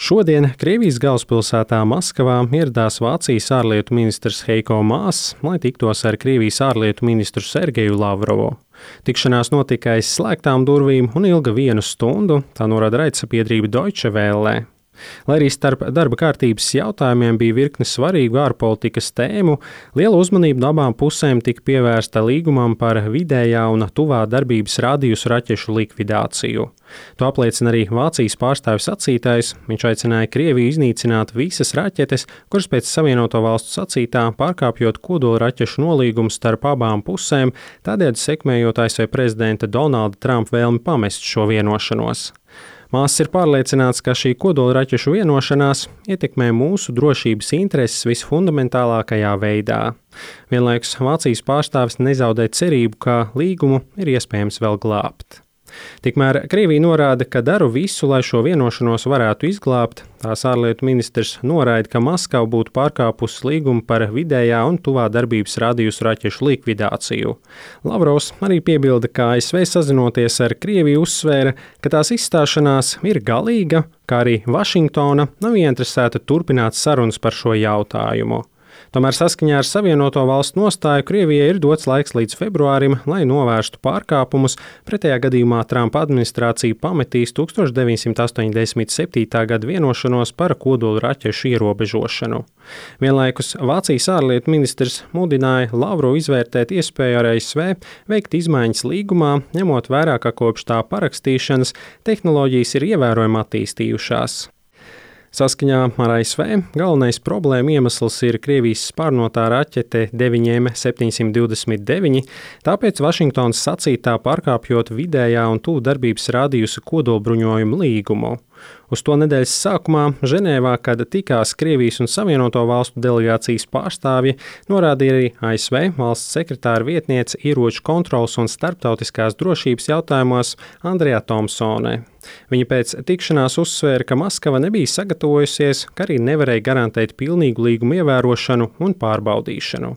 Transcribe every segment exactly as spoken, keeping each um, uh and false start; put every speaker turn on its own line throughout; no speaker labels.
Šodien Krievijas galvaspilsētā Maskavā ieradās Vācijas ārlietu ministrs Heiko Maas, lai tiktos ar Krievijas ārlietu ministru Sergeju Lavrovu. Tikšanās notika aiz slēgtām durvīm un ilga vienu stundu, tā norāda raidsabiedrība Deutsche Welle. Lai arī starp darba kārtības jautājumiem bija virkne svarīgu ārpolitikas tēmu, liela uzmanība no abām pusēm tika pievērsta līgumam par vidējā un tuvā darbības radiusu raķešu likvidāciju. To apliecina arī Vācijas pārstāvis sacītais. Viņš aicināja Krieviju iznīcināt visas raķetes, kuras pēc Savienoto Valstu sacītā pārkāpjot kodolraķešu nolīgumu starp abām pusēm, tādējādi sekmējot A S V prezidenta Donalda Trumpa vēlmi pamest šo vienošanos. Māss ir pārliecināts, ka šī kodolraķešu vienošanās ietekmē mūsu drošības intereses visfundamentālākajā veidā. Vienlaikus Vācijas pārstāvis nezaudē cerību, ka līgumu ir iespējams vēl glābt. Tikmēr Krievija norāda, ka dara visu, lai šo vienošanos varētu izglābt. Tās ārlietu ministrs noraida, ka Maskava būtu pārkāpusi līgumu par vidējā un tuvā darbības radiusu raķešu likvidāciju. Lavrovs arī piebilda, ka A S V sazinoties ar Krieviju uzsvēra, ka tās izstāšanās ir galīga, kā arī Vašingtona nav ieinteresēta turpināt sarunas par šo jautājumu. Tomēr saskaņā ar Savienoto Valstu nostāju Krievijai ir dots laiks līdz februārim, lai novērstu pārkāpumus, pretējā gadījumā Trumpa administrācija pametīs tukstovš deviņsimt astoņdesmit septītā gada vienošanos par kodolraķešu ierobežošanu. Vienlaikus Vācijas ārlietu ministrs mudināja Lavrovu izvērtēt iespēju ar A S V veikt izmaiņas līgumā, ņemot vērā, ka kopš tā parakstīšanas tehnoloģijas ir ievērojami attīstījušās. Saskaņā ar A S V galvenais problēma iemesls ir Krievijas spārnotā raķete deviņi M septiņsimt divdesmit deviņi, tāpēc Vašingtonas sacītā pārkāpjot vidējā un tuvu darbības radiusa kodolbruņojumu līgumu. Uz to nedēļas sākumā Ženēvā, kad tikās Krievijas un Savienoto Valstu delegācijas pārstāvji, norādīja arī A S V valsts sekretāra vietniece ieroču kontrolas un starptautiskās drošības jautājumos Andrea Tomsone. Viņa pēc tikšanās uzsvēra, ka Maskava nebija sagatavojusies, ka arī nevarēja garantēt pilnīgu līgumu ievērošanu un pārbaudīšanu.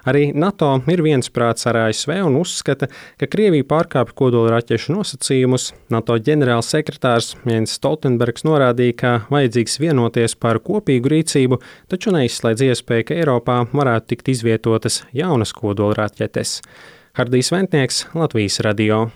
Arī NATO ir viensprāts ar A S V un uzskata, ka Krievija pārkāpj kodolraķešu nosacījumus. NATO ģenerālsekretārs Jens Stoltenbergs norādīja, ka vajadzīgs vienoties par kopīgu rīcību, taču neizslēdz iespēju, ka Eiropā varētu tikt izvietotas jaunas kodolraķetes. Hardijs Ventnieks, Latvijas radio.